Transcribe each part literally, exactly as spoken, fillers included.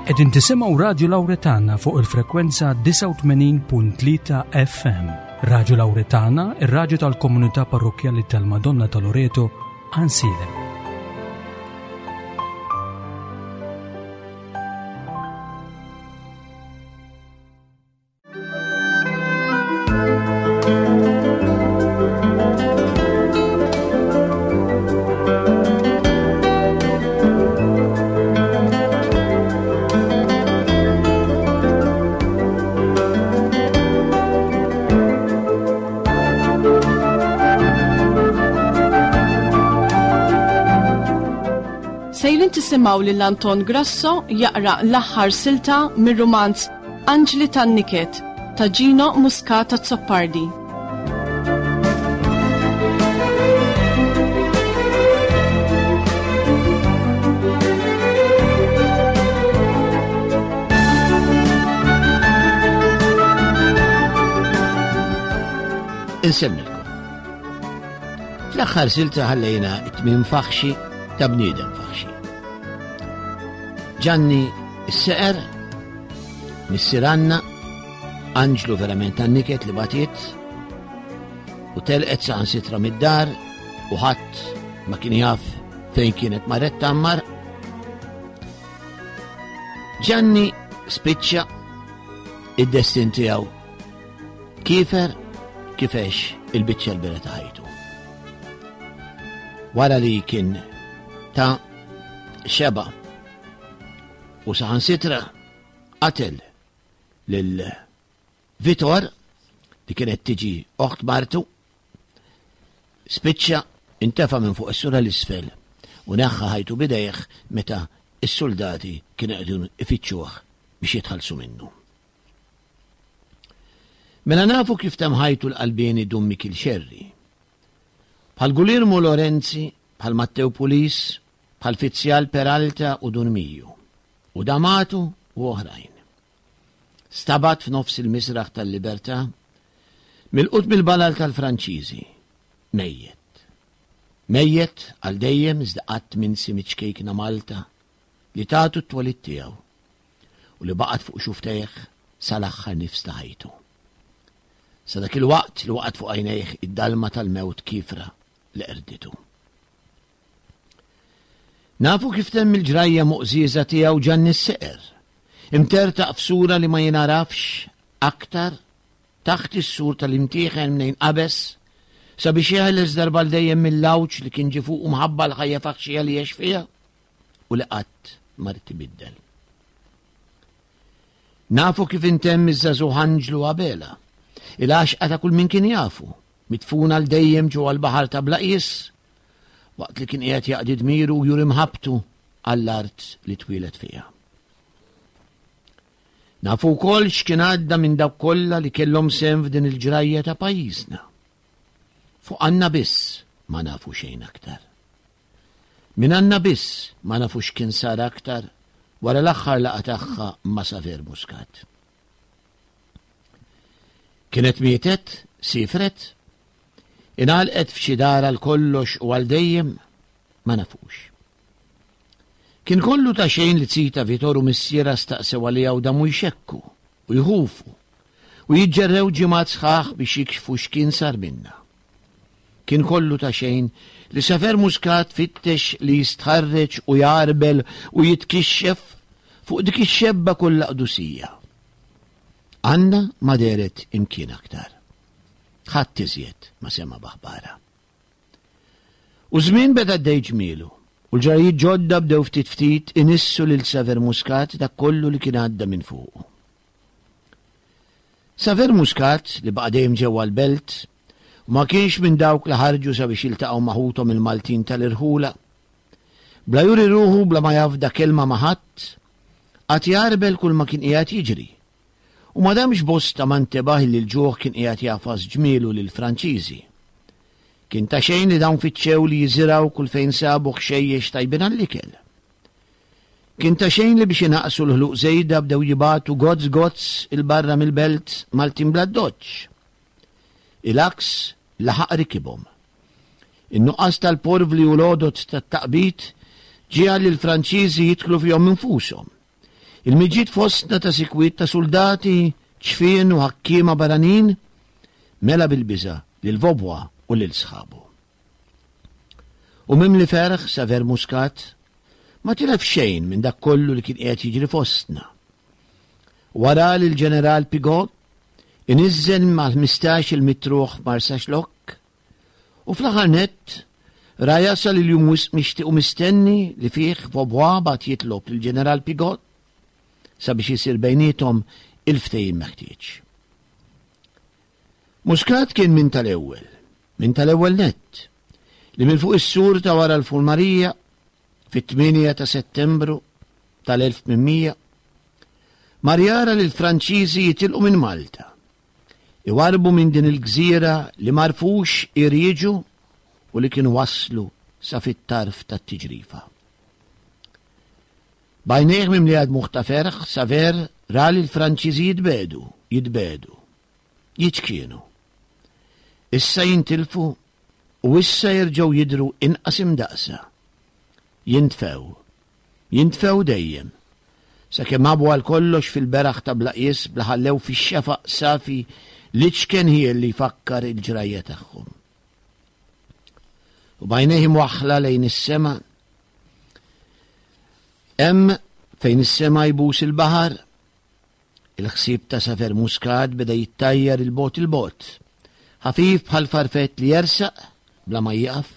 Qegħdin tisimgħu Radio Lauretana fuq il-frekwenza disgħa u tmenin punt tlieta F M. Radio Lauretana, ir-radju tal-Komunità Parrokkjali tal-Madonna ta' Loreto, Għajnsielem. Sejrin tisimgħu lil Anton Grasso jaqra l-aħħar silta mir-rumanz Anġli tan-Niket ta' Gino Muscat Azzopardi. Insemmilkom. Fl-aħħar silta ħallejna it-tmiem faħxi ta' bniedem faħxi. Ġanni s-seqer, missier Anna, anġlu verament tan-niket li batiet, u telqet saħansitra mid-dar u ħadd ma kien jaf fejn kienet marret tammar. Ġanni spiċċa id-destin tiegħu kiefer kif għex il-biċċa l-bira ta' ħajtu. Wara li kien ta' xeba u saħansitra qatel lil Vitor li kienet tiġi oħt martu, spiċċa intefa minn fuq is-sura l-isfel u neħħa ħajtu bidejh meta is-soldati kienu qegħdin ifittxuh biex jitħallsu minnu. Mela nafu kif temm ħajtu l-qalbieni Dun Mikiel Xerri. Bħal Guglielmo Lorenzi, bħal Matteo Pulis, bħal Fizzjal Peralta u Dun Miju, u Damatu u oħrajn. Stabat f'nofs il-misraħ tal-libertà, milqut mill-balal tal-Franċiżi, mejjet. Mejjet għal dejjem iżda qatt minsi miċ-ċkejkna Malta li tatu t-twelid tiegħu u li baqgħet fuq xufftejh sal-aħħar nifs ta' ħajtu. Sa dak il-waqt li waqgħet fuq għajnejh id-dalma tal-mewt kifra li qerditu. Nafu kif temm il-ġrajja muqżieża tiegħu Ġanni s-Seqer, imtertaq f'sura li ma jinarafx aktar taħt is-sur tal-imtieħen mnejn qabeż sabiex jeħles darba dejjem mill-lawċ li kien ġie fuqu minħabba l-ħajja faħxija li għex fiha u li qatt ma ried ibiddel. Nafu kif intemm iż-żagħżugħ Anġlu Abela, il-għaxqa ta' kull min kien jafu, midfun għal dejjem ġewwa l-baħar ta' bla qies, waqt li kien qiegħed jaqdi dmiru u juri mħabbtu għall-art li twieled fiha. Nafu wkoll x'kien għadda minn dawk kollha li kellhom sehem f'din il-ġrajja ta' pajjiżna. Fuq Anna biss ma nafu xejn aktar. Minn Anna biss ma nafu x'kien sar aktar wara l-aħħar laqgħa tagħha ma' Saver Muscat. Kienet mietet, sifret, ingħalqet f'xi dar għal kollox u għal dejjem, ma nafux. Kien kollu ta' xejn li zita Vitor u missiera staqsew għaliha u damu jxekku u jħufu u jiġġerrew ġimgħat sħaħ biex jikxfu x'kien sar minna. Kien kollu ta' xejn li Saver Muscat fittex li jistħarreġ u jarbel u jitkixxef fuq dik ix-xebba kollha qdusija. Anna ma dehret imkien aktar. Ħadd iżjed ma sema b'aħbarha. U żmien beda għaddej ġmielu, u l-ġrajiet ġodda bdew ftit ftit inissu lil Saver Muscat dak kollu li kien għadda minn fuqu. Saver Muscat li baqa' dejjem ġewwa l-belt u ma kienx minn dawk li ħarġu sabiex jiltaqgħu ma' ħuthom il-Maltin tal-irħula. Bla juri ruħu, bla ma jafda kelma ma' ħadd, qagħad jarbel kull ma kien qiegħed jiġri. U ma damx bosta ma ntebaħ li l-ġuħ kien qiegħed jagħfas ġmielu lill-Franċiżi. Kien ta' xejn li dawn fittxew li jiżirgħu kull fejn sabu ħxejjex tajbin għall-ikel. Kien ta' xejn li biex inaqsu l-ħluq żejda bdew jibagħtu gozz gozz 'il barra mill-belt Maltin bl-addoċċ. Il-għaks laħaq rikibhom. In-nuqqas tal-porvli u l-għodod tat-taqbid ġiegħel li l-Franċiżi jidħlu fihom infushom. Il-miġiet fostna ta' sikwit ta' soldati, ċfien u ħakkiema barranin, mela bil-biża' lil Vaubois u lil sħabu. U mimli ferħ Saver Muscat ma tilef xejn minn dak kollu li kien qiegħed jiġri fostna. Wara li l-ġeneral Pigot iniżżel mal-ħmistax-il mitruħ Marsaxlokk u fl-aħħar nett ra jasal il-jum wisq mixtieq u mistenni li fih Vaubois bagħat jitlob lill-ġeneral Pigot sabiex jisir bejniethom il-ftehim meħtieġ. Muscat kien minn tal-ewwel, minn tal-ewwel nett, li minn fuq is-sur ta' wara l-Fulmarija fit-tmienja ta' Settembru tal-elf tmien mija mar jara li l-Franċiżi jitilqu minn Malta, iwarbu minn din il-gżira li marfux irieġu u li kienu waslu sa fit-tarf tat-tiġrifa. B'għajnejh mimlija dmugħ ta' ferħ, Saver ra li l-Franċiżi jitbedu, jitbedu, jiċkienu. Issa jintilfu u issa jerġgħu jidru inqas imdaqsa. Jintfew, jintfew dejjem, sakemm għabu għal kollox fil-beraħ ta' bla qies bla ħallew fix-xefaq safi l-iċken ħiel li jfakkar il-ġrajja tagħhom. U b'għajnejh imwaħħla lejn is-sema, hemm fejn is-sema jbus il-baħar, il-ħsieb ta' Saver Muscat beda jittajjar il-bogħod il-bogħod, ħafif bħal farfett li jersaq bla ma jieqaf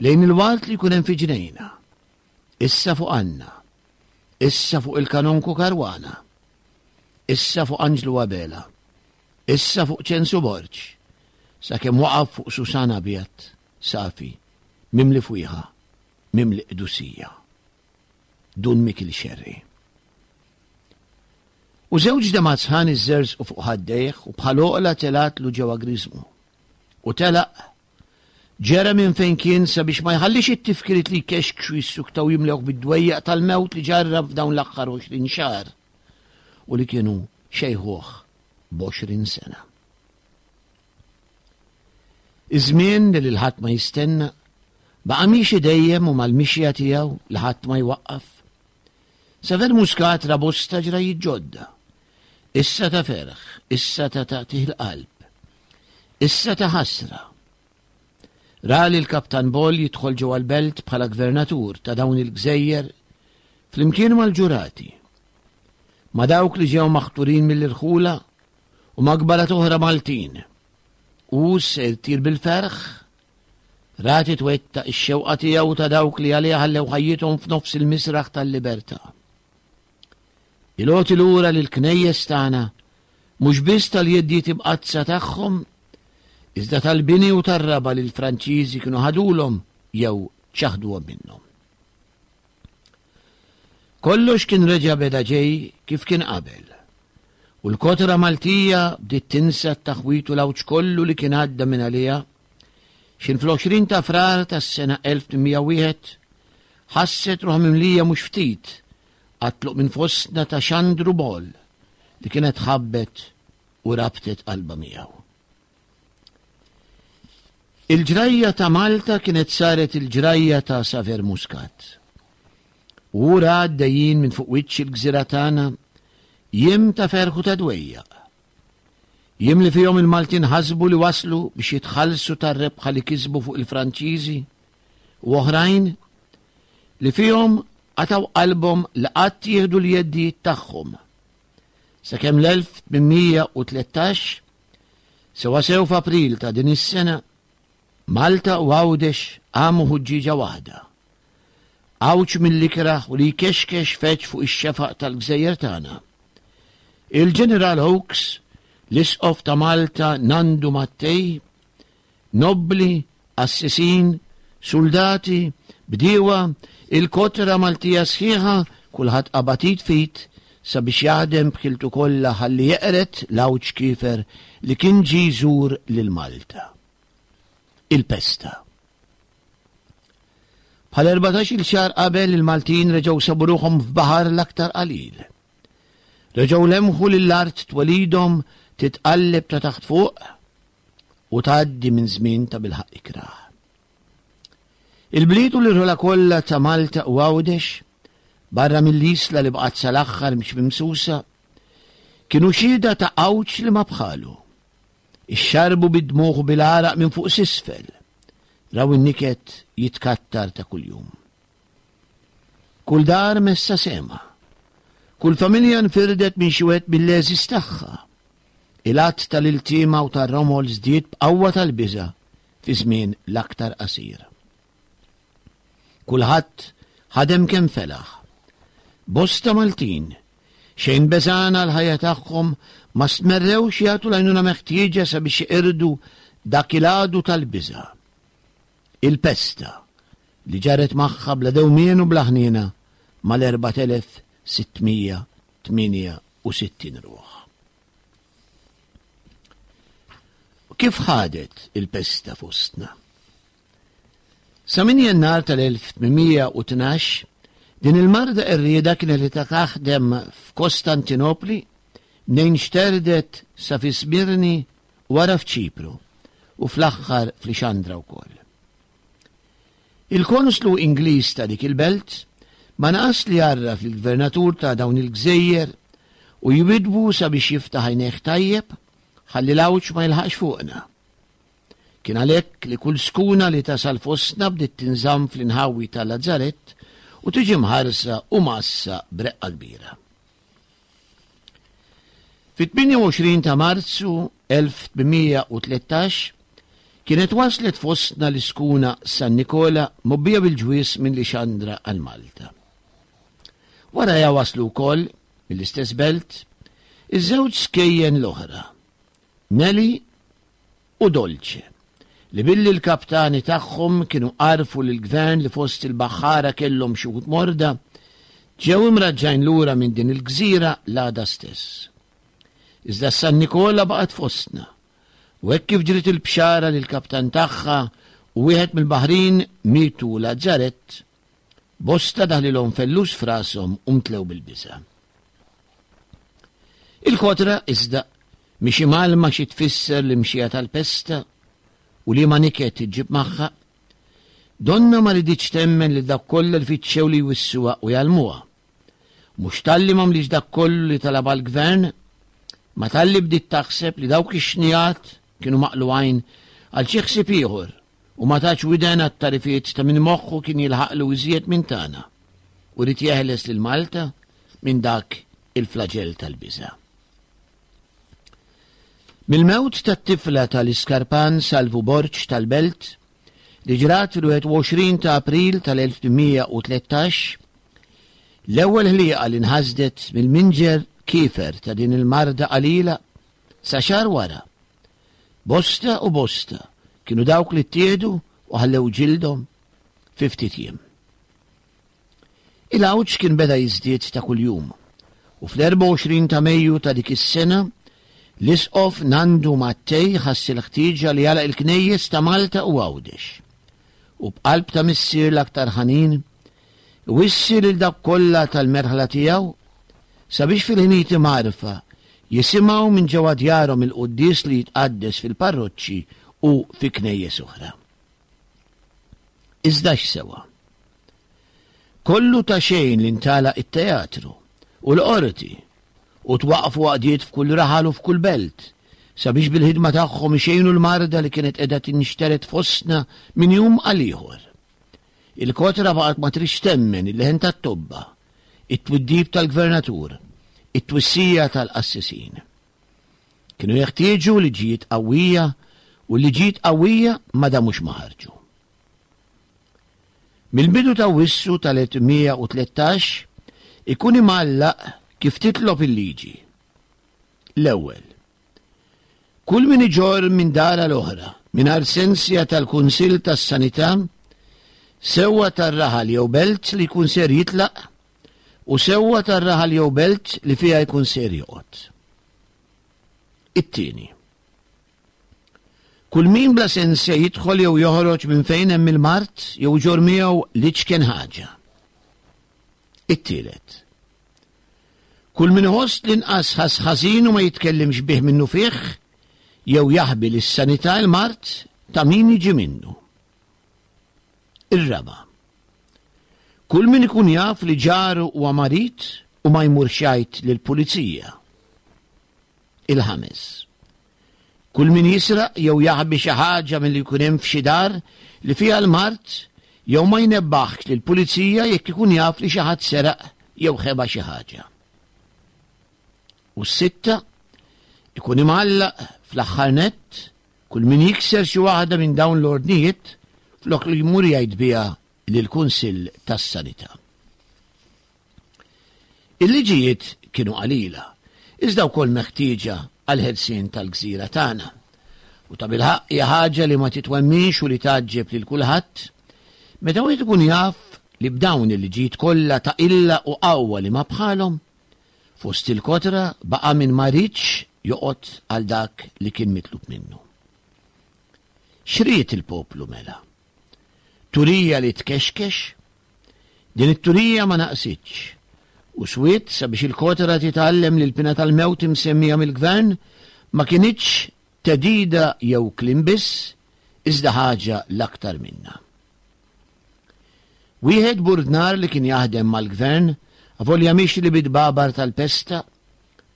lejn il-wart li jkun hemm fi ġnejna. Issa fuq Anna, issa fuq il-kanonku Karwana, issa fuq Anġlu Abela, issa fuq Ċensu Borg, sakemm waqaf fuq Susan abjad, safi, mimli fwieħa, mimli qdusija. Dun Mikil Xerri. U żewġ demgħat sħan iżżerżqu fuq ħaddejh u bħal oqla telatlu ġewwa griżmu. U telaq ġera minn fejn kien sabiex ma jħallix it-tifkiriet li jkexkxu jissuktaw jimlewh bid-dwejjaq tal-mewt li ġarrab f'dawn l-aħħar għoxrin xahar u li kienu xejħuh b'għoxrin sena. Iż-żmien li lil ħadd ma jistenna baqa' miexi dejjem u mal-mixja tiegħu li ħadd ma jwaqqaf. Saver Muscat ra bosta ġrajiet ġodda. Issa ta' ferħ, issa ta' taqtigħ il-qalb, issa ta' ħasra. Ra li l-Kaptan Boll jidħol ġewwa l-belt bħala gvernatur ta' dawn il-gżejjer flimkien mal-ġurati, ma' dawk li ġew maħturin mill-irħula u ma' kbarat oħra Maltin. U se jtir bil-ferħ, ra titwettaq ix-xewqa tiegħu ta' dawk li għaliha ħallew ħajjithom f'nofs il-misraħ tal-libertà. Il-għoti lura lill-knejjes tagħna mhux biss tal-jeddiet imqaddsa tagħhom, iżda tal-bini u tar-raba' li l-Franċiżi kienu ħadulhom jew ċaħduhom minnhom. Kollox kien reġa' beda ġej kif kien qabel, u l-kotra Maltija bdiet tinsa t-taħwit u l-għawġ kollu li kien għadda minn għaliha, xin fl-għoxrin ta' Frar tas-sena elf tmien mija wieħed ħasset ruħha mimlija mhux ftit għat-tluq minn fostna ta' Xandru Boll li kienet ħabbet u rabtet qalbha miegħu. Il-ġrajja ta' Malta kienet saret il-ġrajja ta' Saver Muscat. U ra għaddejjin minn fuq wiċċ il-gżira tagħna jiem ta' ferħu ta' dwejjaq. Jiem li fihom il-Maltin ħasbu li waslu biex jitħallsu tar-rebħa li kisbu fuq il-Franċiżi u oħrajn li fihom qataw qalbhom li qatt jieħdu l-jeddijiet tagħhom. Sakemm l-elf tmien mija u tlettax, sewwasew f'April ta' din is-sena, Malta u Għawdex qamu ħuġġieġa waħda. Għawġ mill-ikrah u li jkexkex feġ fuq ix-xefaq tal-gżejjer tagħna. Il-Ġeneral Hawkes, l-Isqof ta' Malta Nandu Mattei, nobbli, qassisin, soldati, bdiewa, il-kotra Maltija sħiħa, kulħadd qabad id f'id sabiex jaħdem b'ħiltu kollha ħalli jeqret l-għawġ kiefer li kien ġie jżur lil Malta. Il-pesta. Bħal erbatax-il xahar qabel il-Maltin reġgħu sabu ruħhom f'baħar l-aktar qalil. Reġgħu lemħu lill-art twelidhom titqalleb ta' taħt fuq u tgħaddi minn żmien ta' bilħaq ikrah. Il-bliet u l-irħula kollha ta' Malta u Għawdex barra mill-isla li baqgħet sal-aħħar mhix mimsusa, kienu xhieda ta' għawġ li ma bħalu. Ixxarbu bid-dmugħ u bil-għaraq minn fuq s'isfel, raw in-niket jitkattar ta' kuljum. Kull dar messa sema, kull familja nfirdet minn xi wieħed mill-għeżież tagħha. Il-għadd tal-iltiema u tar-romol żdied b'qawwa tal-biża' fi żmien l-aktar qasir. Kulħadd ħadem kemm felaħ. Bosta Maltin, xejn beżgħana l-ħajja tagħhom, ma stmerrewx jagħtu l-għajnuna meħtieġa sabiex iqirdu dak il-għadu tal-biża'. Il-pesta li ġarret magħha bla dewmien u bla ħniena mal-erbat elef sittmija tmienja u sittin ruħ. Kif ħadet il-pesta fostna? Sa minn Jannar tal-elf tmienmija u tnax, din il-marda qerrieda kienet li taħdem f'Kostantinopli, mnejn xterdet sa fi Smirni wara f'Ċipru u fl-aħħar f'Lixandra wkoll. Il-konslu Ingliż ta' dik il-belt ma naqas li jarraf il-gvernatur ta' dawn il-gżejjer u jwidbu sabiex jiftaħ għajnejh tajjeb ħalli l-għawġ ma jilħaqx fuqna. Kien għalhekk li kull skuna li tasal fostna bdiet tinżamm fl-inħawi tal-Lazzarett u tiġi mħarsa u massa breqqa kbira. Fit-tmienja u għoxrin ta' Marzu elf tmienmija u tlettax kienet waslet fostna l-iskuna San Nikola mobbija bil-ġwies minn Lixandra għal Malta. Wara waslu wkoll mill-istess belt iż-żewġ skejjen l-oħra, Nelly u Dolce, li billi l-kaptani tagħhom kienu għarfu lill-gvern li fost il-baħħara kellhom xi wħud morda, ġew imraġġajn lura minn din il-gżira l-għada stess. Iżda San Nikola baqgħet fostna, u hekk kif ġriet il-bxara li l-kaptan tagħha u wieħed mill-baħrin mietu Lazzarett, bosta daħlilhom fellus f'rashom u mtlew bil-biża'. Il-kotra iżda mhix imgħallma xi tfisser l-imxija tal-pesta u li ma niket iġġib magħha, donna ma riditx temmen li dak kollha li fittxew li jwissuha u jgħallmuha. Mhux talli m'għamlix dak kollu li talabha l-gvern, ma talli bdiet taħseb li dawk ix-xnijat kienu maqlugħin għal xi ħsieb ieħor u ma tax widen għat-tarifiet ta' min moħħu kien jilħaqlu iżjed minn tagħna u rid jeħles lil Malta minn dak il-flaġell tal-biża'. Mill-mewt tat-tifla tal-Iskarpan Salvu Borg tal-Belt li ġrat fil-wieħed u għoxrin ta' April tal-elf tmienmija u tlettax, l-ewwel ħlieqa li nħasdet mill-minġer kiefer ta' din il-marda qalila sa xahar wara. Bosta u bosta kienu dawk li ttieħdu u ħallew ġildhom fi ftit jiem. Il-għawġ kien beda jiżdied ta' kuljum u fl-erbgħa u għoxrin ta' Mejju ta' dik is-sena l-Isqof Nandu Mattei ħass il-ħtieġa li jagħlaq il-knejjes ta' Malta u Għawdex u b'qalb ta' missier l-aktar ħanin wissi lil dak kollha tal-merħla tiegħu sabiex fil-ħinijiet imgħarfa jisimgħu minn ġewwa djarhom il-quddies li jitqaddes fil-parroċċi u fi knejjes oħra. Iżda x'sewa? Kollu ta' xejn li ntala it-teatru u l-qorti u twaqfu għaqdiet f'kull raħal u f'kull belt sabiex bil-ħidma tagħhom ixejnu l-marda li kienet qiegħda tinxteret fostna minn jum għal ieħor. Il-kotra baqgħet ma tridx temmen il-leħen tat-tobba, it-twiddib tal-gvernatur, it-twissija tal-qassisin. Kienu jeħtieġu liġijiet qawwija u liġijiet qawwija ma damux ma ħarġu. Mill-bidu ta' Wissu tal-elf tmienmija u tlettax ikun imgħallaq kif titlob il-liġi. L-ewwel, kull min iġorr minn dar għal oħra mingħajr sensja tal-Kunsill tas-Sanità sewwa tar-raħal jew belt li jkun ser jitlaq u sewwa tar-raħal jew belt li fiha jkun ser joqgħod. It-tieni, kull min bla sensja jidħol jew joħroġ minn fejn hemm il-mard jew iġorr miegħu l-iċken ħaġa. It-tielet, kull min iħoss l-inqas ħass ħażin u ma jitkellimx bih minnu fih jew jaħbi lis-sanità l-mard ta' min jiġi minnu. Ir-raba', Kull min ikun jaf li ġaru huwa marid u ma jmurx jgħid lill-pulizija. Il-ħames. Kull min jisraq jew jaħbi xi ħaġa milli jkun hemm f'xi dar li fiha l-mard jew ma jnebbaħx lill-pulizija jekk ikun jaf li xi ħadd seraq jew ħeba xi ħaġa. U s-sitta, ikun imgħallaq fl-aħħar nett kull min jikser xi waħda minn dawn l-ordnijiet flok li jmur jgħid biha lill-Kunsill tas-Sanità. Il-liġijiet kienu qalila, iżda wkoll meħtieġa għall-ħelsien tal-gżira tagħna. U tabilħaqq hija ħaġa li ma titwemminx u li tgħaġġeb lil kulħadd meta wieħed ikun jaf li b'dawn il-liġijiet kollha ta' qilla u qawwa li ma bħalhom, fost il-kotra baqa' min ma riedx joqgħod għal dak li kien mitlub minnu. X'ried il-poplu mela? Turija li tkexkex? Din it-turija ma naqsitx. U swiet sabiex il-kotra titgħallem li l-pina tal-mewt imsemmija mill-gvern ma kinitx tedida jew kliem biss, iżda ħaġa l-aktar minna. Wieħed burdnar li kien jaħdem mal-gvern, avolja mixli bid-babar tal-pesta,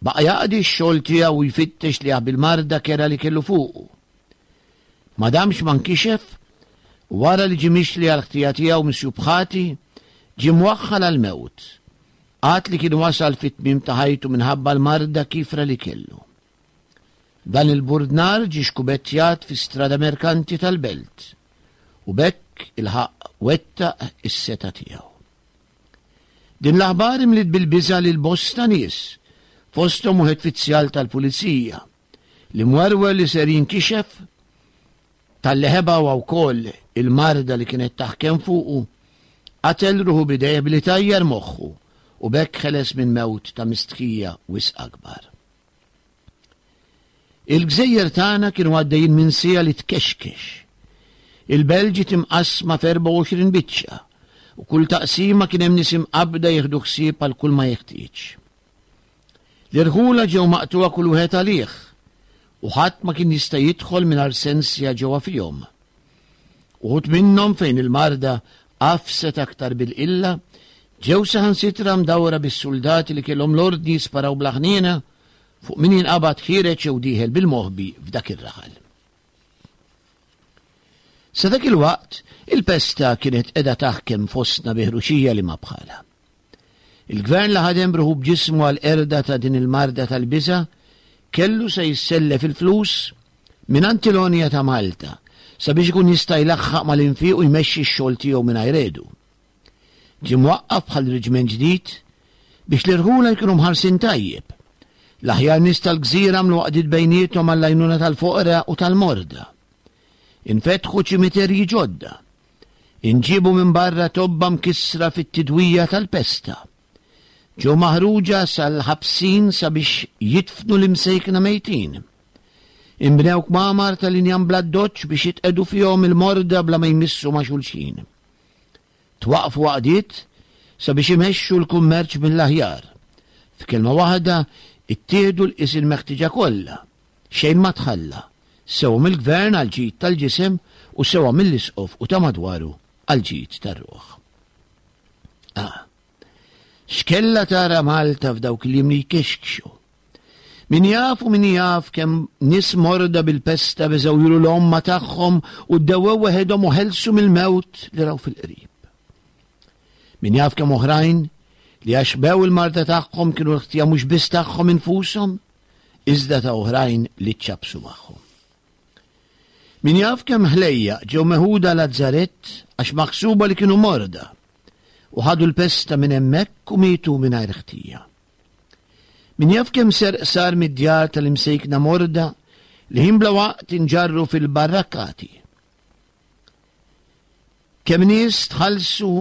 baqa' jaqdi x-xogħol tiegħu u jfittex li jaħbi l-marda kera li kellu fuqu. Ma damx ma nkixef, u wara li ġie mixli għall-ħtija tiegħu misjub ħati, ġie mwaħħal għall-mewt, għad li kien wasal fit-tmiem ta' ħajtu minħabba l-marda kifra li kellu. Dan il-burdnar ġie xkubettjat fi strada merkanti tal-belt, u b'hekk il-ħaqq wettaq is-seta' tiegħu. Din l-aħbar imliet bil-biża' lil bosta nies, fosthom wieħed fizzjal tal-pulizija, li mwerwer li ser jinkixef talli ħeba huwa wkoll il-marda li kienet taħkem fuqu, qatel ruħu b'idejh billi tajjar moħħu u b'hekk ħeles minn mewt ta' mistħija wisq akbar. Il-gżejjer tagħna kienu għaddejjin minn siegħa li tkexkex. Il-belt ġiet imqassma f'erbgħa u għoxrin biċċa u kull taqsima kien hemm nies imqabbda jieħdu ħsieb għal kull ma jeħtieġ. L-irħula ġew maqtugħa kull wieħed għalih u ħadd ma kien jista' jidħol mingħajr sensja ġewwa fihom. Uħud minnhom fejn il-marda qafset aktar bil-qilla ġew saħansitra mdawra bis-suldati li kellhom l-ordni jisparaw bla ħniena fuq min jinqabad ħiereġ jew dieħel bil-moħbi f'dak ir-raħal. Sa dak il-waqt, il-pesta kienet qiegħda taħkem fostna bi ħruxija li ma bħalha. Il-gvern li ħadem ruħu b'ġismu għall-qerda ta' din il-marda tal-biża' kellu se jissellef il-flus minn Antilonja ta' Malta sabiex ikun jista' jlaħħaq mal-infiq u jmexxi x-xogħol tiegħu mingħajr għedu. Ġie mwaqqaf bħal reġiment ġdid biex l-irħula jkunu mħarsin tajjeb. L-aħjar nies tal-gżira għamlu għaqdiet bejniethom għall-għajnuna tal-foqra u tal-morda. Infetħu ċimiterji ġodda. Inġiebu minn barra tobba mkissra fit-tidwija tal-pesta. Ġew maħruġa sal-ħabsin sabiex jidfnu l-imsejkna mejtin. Inbnew kmamar tal-injam bla doċċ biex jitqegħdu fihom il-morda bla ma jmissu ma' xulxin. Twaqfu għaqdiet sabiex imexxu l-kummerċ mill-aħjar. F'kelma waħda, ittieħdu l-qis il-meħtieġa kollha, xejn ma tħalla, sewa mill-gvern għall-ġid tal-ġisem u sewa mill-isqof u ta' madwaru għall-ġid tar-ruħ. Ah, x'kellha tara Malta f'dawk il-jiem li jkexkxu. Min jaf u min jaf kemm nies morda bil-pesta beżgħu juru l-omma tagħhom u ddewwew weħedhom u ħelsu mill-mewt li raw fil-qrib. Min jaf kemm oħrajn li għax bew il-marda tagħhom kienu l-ħtija mhux biss tagħhom infushom, iżda ta' oħrajn li ċċabsu magħhom. Min jaf kemm ħlejjaq ġew meħuda Lazzarett għax maħsuba li kienu morda u ħadu l-pesta minn hemmhekk u mietu mingħajr ħtija. Min jaf kemm serq sar mid-djar tal-imsejkna morda li ħin bla waqt inġarru fil-barrakkati. Kemm nies tħallsu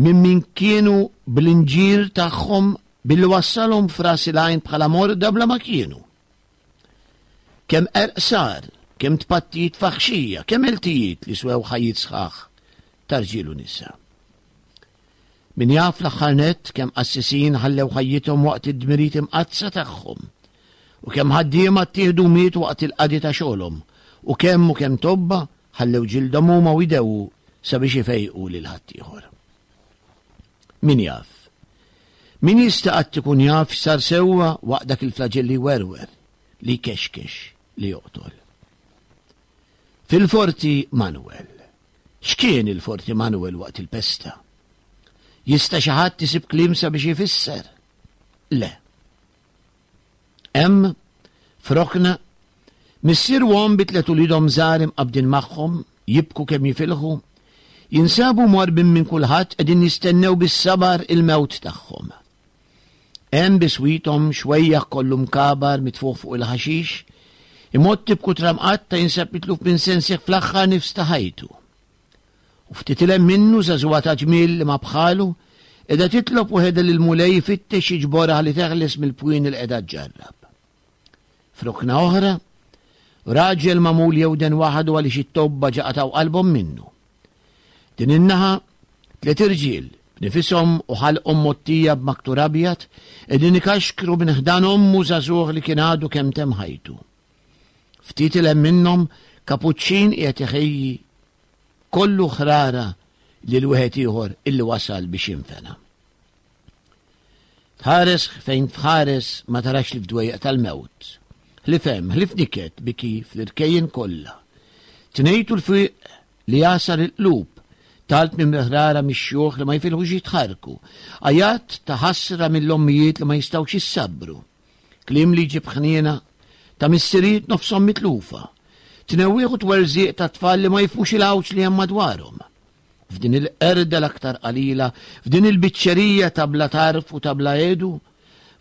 minn min kienu bl-inġir tagħhom billi wassalhom f'ras il-għajn bħala morda bla ma kienu. Kemm qerq sar, kemm tpattijiet faħxija, kemm eltijiet li swew ħajjiet sħaħ ta' rġiel u nisa. Min jaf l-aħħar nett kemm qassisin ħallew ħajjithom waqt id-dmirijiet imqaddsa tagħhom, u kemm ħaddiema ttieħdu mietu waqt il-qadi ta' xogħolhom, u kemm u kemm tobba ħallew ġildhom huma u jdewwu sabiex ifejqu lil ħaddieħor. Min jaf? Min jista' qatt ikun jaf x'sar sewwa waqt dak il-flaġell li jwerwer, li jkexkex, li joqtol? Fil-Forti Manuel. X'kien il-Forti Manuel waqt il-pesta? Jista' xi ħadd isib kliem sabiex ifisser? Le. Hemm, f'rokna, missier u omm bi tliet uliedhom żgħar imqabbdin magħhom, jibku kemm jifilħu, jinsabu mwarrbin minn kulħadd qegħdin jistennew bis-sabar il-mewt tagħhom. Hemm biswithom xwejjaħ kollu mkabar mitfuħ fuq il-ħaxix, imgħotti b'kutra mqatta' jinsab mitluf minn sensih fl-aħħar nifs ta' ħajtu. U ftit 'il hemm minnu żagħżugħa ta' ġmiel li ma bħalu, qiegħda titlob waħedha lill-Mulej ifittex jiġborha ħalli teħles mill-pwien li qiegħda ġġarrab. F'rokna oħra, raġel magħmul jewden waħdu għaliex it-tobba ġa qatgħu qalbhom minnu. Din in-naħa, tliet irġiel, b'nifishom u ħalqhom mgħottija b'maktur abjad, qegħdin ikaxkru minn ħdan ommu żagħżugħ li kien għadu kemm temm ħajtu. Ftit 'il hemm minnhom kapuċċin qiegħed iħejji kollu ħrara lil wieħed ieħor illi wasal biex jinfena. Tħares fejn tħares ma tarax li f'dwejjaq tal-mewt. Ħlief hemm, ħlief niket biki fl-irkejjen kollha. Tnejtu l-fiq li jasar il-qlub, talb minn ħrara mix-xjuħ li ma jfilħux jitħarku, għajat ta' ħasra mill-ommijiet li ma jistgħux jissabru, kliem li jġib ħniena ta' missirijiet nofshom mitlufa, tnewwieħ u twerżieq ta' tfal li ma jifhmux il-għawġ li hemm madwarhom. F'din il-qerda l-aktar qalila, f'din il-biċċerija ta' bla tarf u ta' bla għedu,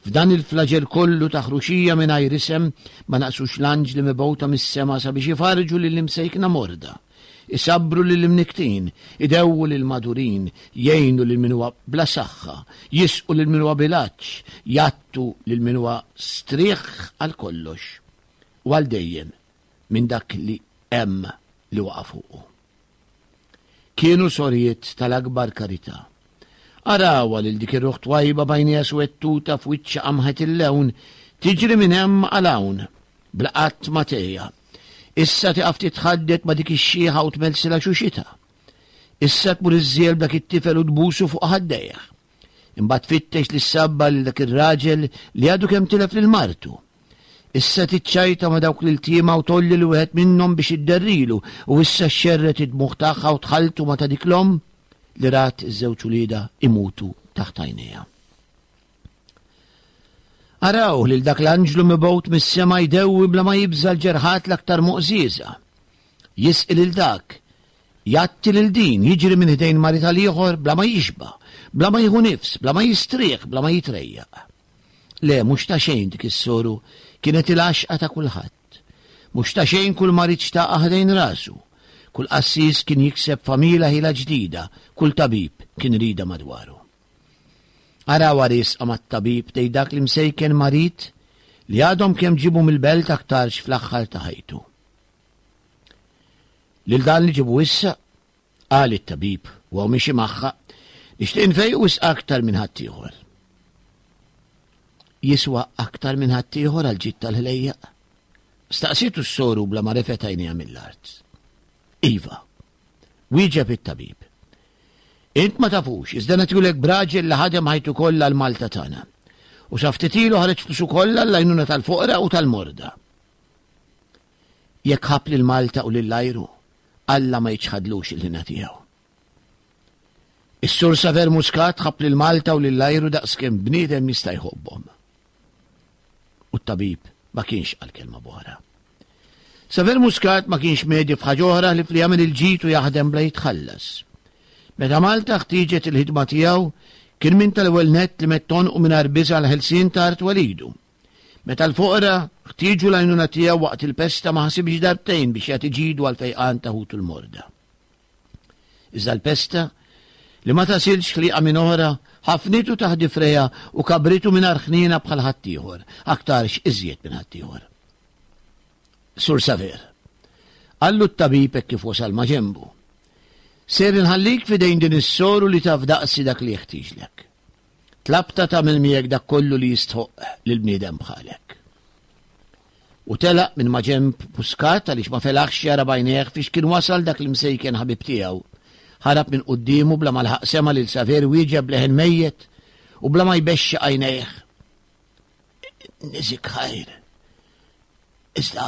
f'dan il-flaġell kollu ta' ħruxija mingħajr isem, ma naqsux l-anġli mibgħuta mis-sema sabiex ifarġu lill-imsejkna morda, isabbru lill-imniktin, idewwu lill-madurin, jgħinu lil min huwa bla saħħa, jisqu lil min huwa bil-għatx, jgħattu lil min huwa strieħ għal kollox u għal dejjem minn dak li hemm li waqa' fuqu. Kienu sorijiet tal-akbar karità. Arawha lil dik ir-ruħ twajba b'għajnejha swettuta f'wiċċha qamħet il-lewn, tiġri minn hemm għal hawn, bla qatt ma tgħejja. Issa tieqaf titħaddet ma' dik ix-xieħa u tmelsilha xuxitha. Issa tmur iżżiel b'dak it-tifel u tbusu fuq ħaddejh. Imbagħad tfittex li ssabba lil dak ir-raġel li għadu kemm tilef lil martu. Issa tiċċajta ma' dawk l-iltiema u tolli li wieħed minnhom biex idderrilu u issa xxerret id-dmugħ tagħha u tħalltu ma' ta' dik l-omm li rat iż-żewġ uliedha imutu taħt għajnejha. Araw lil dak l-anġlu mibgħut mis-sema jdewwi bla ma jibża' l-ġerħat l-aktar moqżieża. Jisqi lil dak, jgħatti lil din, jiġri minn ħdejn marid għal ieħor bla ma jixba', bla ma jieħu nifs, bla ma jistrieħ, bla ma jitrejjaq. Le, mhux ta' xejn dik is-soru kienet il-għaxqa ta' kulħadd. Mhux ta' xejn kull marid xtaqha ħdejn rasu. Kull qassis kien jikseb familja ħila ġdida, kull tabib kien rida madwaru. Araw għarisqa mat-tabib tgħid dak li msejken marid li għadhom kemm ġibu mill-belt aktarx fl-aħħar ta' ħajtu. Lil dan li ġibu issa, qal it-tabib u hawn mixi magħha, nixtieq nfejqu wisq aktar minn ħaddieħor. Jiswa aktar minn ħaddieħor għal ġid tal-ħlejjaq? Staqsietu s-soru bla ma refet għajnejha mill-art. Iva, wieġeb it-tabib. Int ma tafux, iżda nagħtiulek b'raġel li ħadem ħajtu kollha għal Malta tagħna. U sa ftit ilu ħareġ flusu kollha għall-għajnuna tal-foqra u tal-morda. Jekk ħabb lil Malta u lil ajru, Alla ma jiċħadlux il-ħina tiegħu. Is-Sur Saver Muscat ħabb lil Malta u lil ajru daqskemm bniedem jista' jħobbhom. U t-tabib ma kienx qal kelma b'oħra. Saver Muscat ma kienx medi f'ħaġa oħra li fli jagħmel il-ġid u jaħdem bla jitħallas. Meta Malta ħtieġet il-ħidma tiegħu, kien minn tal-ewwel nett li mett għonqu mingħajr biża' għall-ħelsien ta' art walidu. Meta l-foqra ħtieġu l-għajnuna tiegħu waqt il-pesta ma ħasibx darbtejn biex jagħti ġidu għall-fejqan ta' ħutu l-morda. Iżda l-pesta, li ma tasilx ħliqa minn oħra, ħafnitu taħt difrejha u kabritu mingħajr ħniena bħal ħaddieħor, aktarx iżjed minn ħaddieħor. Sur Saver, qallu t-tabib hekk kif wasal ma' ġenbu, ser inħallik f'idejn din is-soru li taf daqsi dak li jeħtieġlek. Tlabtha tagħmel miegħek dak kollu li jistħoqq lil bniedem bħalek. U telaq minn ma' ġenb Muscat għaliex ma felaħx jara b'għajnejh fiex kien wasal dak l-imsejken ħabib tiegħu, Ħarab minn quddiemu bla ma laħaq sema' lil Saver wieġeb b'leħen mejjet u bla ma jbexxaq għajnejh. Niżik ħajr. Iżda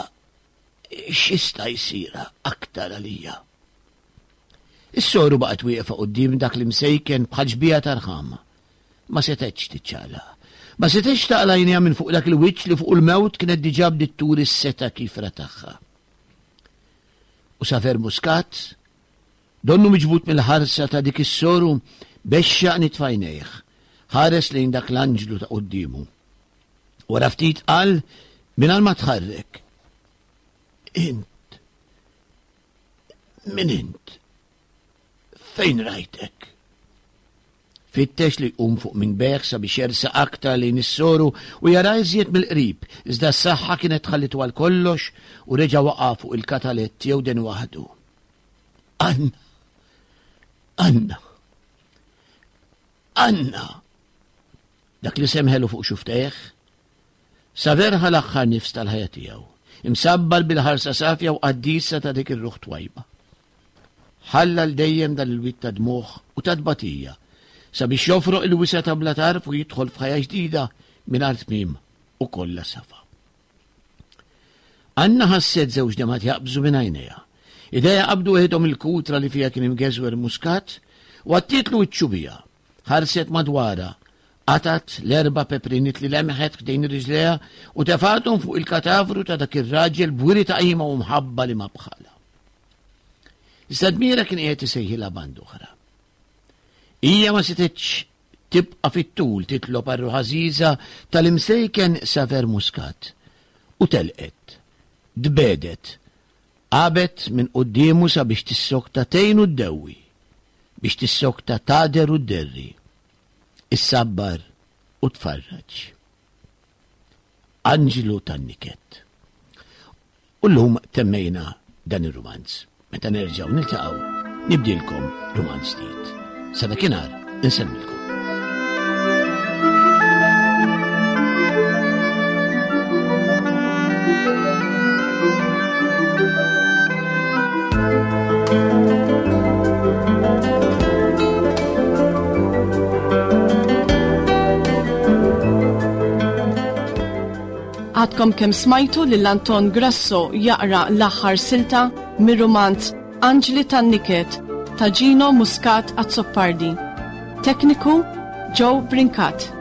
x'jista' jsir aktar għalija? Is-soru baqgħet wieqfa quddiem dak l-imsejken bħal xbieha ta' rħama. Ma setgħetx tiċċaqlaq. Ma setgħetx taqla' għajnejha minn fuq dak il-wiċċ li fuq il-mewt kienet diġà bdiet turi s-setgħa kifra tagħha. U Saver Muscat, donnu miġbud mill-ħarsa ta' dik is-soru, bexxaq nitfa' għajnejh, ħares lejn dak l-anġlu ta' quddiemu. Wara ftit qal mingħajr ma tħarrek. Int. Min int? Fejn rajtek? Fittex li jqum fuq minn beħ sabiex jersaq aktar lejn is-soru u jara iżjed mill-qrib, iżda s-saħħa kienet ħallitu għal kollox u reġa' waqa' fuq il-katalett jew den waħdu. Anna! Anna! Anna! Dak li semħelu fuq xuftejh, Saver ħa l-aħħar nifs tal-ħajja tiegħu, imsabbal bil-ħarsa safja u qaddisa ta' dik ir-ruħ twajba. Ħalla l dejjem dan il-wied ta' dmugħ u ta' tbatija sabiex jofroq il-wisa' ta' bla tarf u jidħol f'ħajja ġdida mingħajr tmiem u kollha safa. Anna ħasset żewġ demgħat jaqbżu minn għajnejha. Idejha qabdu weħidhom il-kutra li fiha kien imgeżwer Muscat u għattietlu wiċċu biha. Ħarset madwarha, qatgħet l-erba' pepriniet li lemħet ħdejn riġlejha u tefgħathom fuq il-katavru ta' dak ir-raġel b'wiri ta' qima u mħabba li ma bħalha. Iżda dmira kien qiegħed isejħilha band oħra. Hija ma setgħetx tibqa' fit-tul titlob għar-ruħ għażiża tal-imsejken Saver Muscat u telqet, tbegħdet, għabet minn quddiemu sabiex tissokta tgħin u ddewwi, biex tissokta tagħder u dderri, issabbar u tfarraġ. Anġlu tan-niket. U llum temmejna dan ir-rumanz. Meta nerġgħu niltaqgħu, nibdilkom rumanz ġdid. Sa dakinhar insellmilkom. Għadkom kemm smajtu lil Anton Grasso jaqra l-aħħar silta mir-rumanz Anġli tan-Niket ta' Gino Muscat Azzopardi. Tekniku Joe Brincat.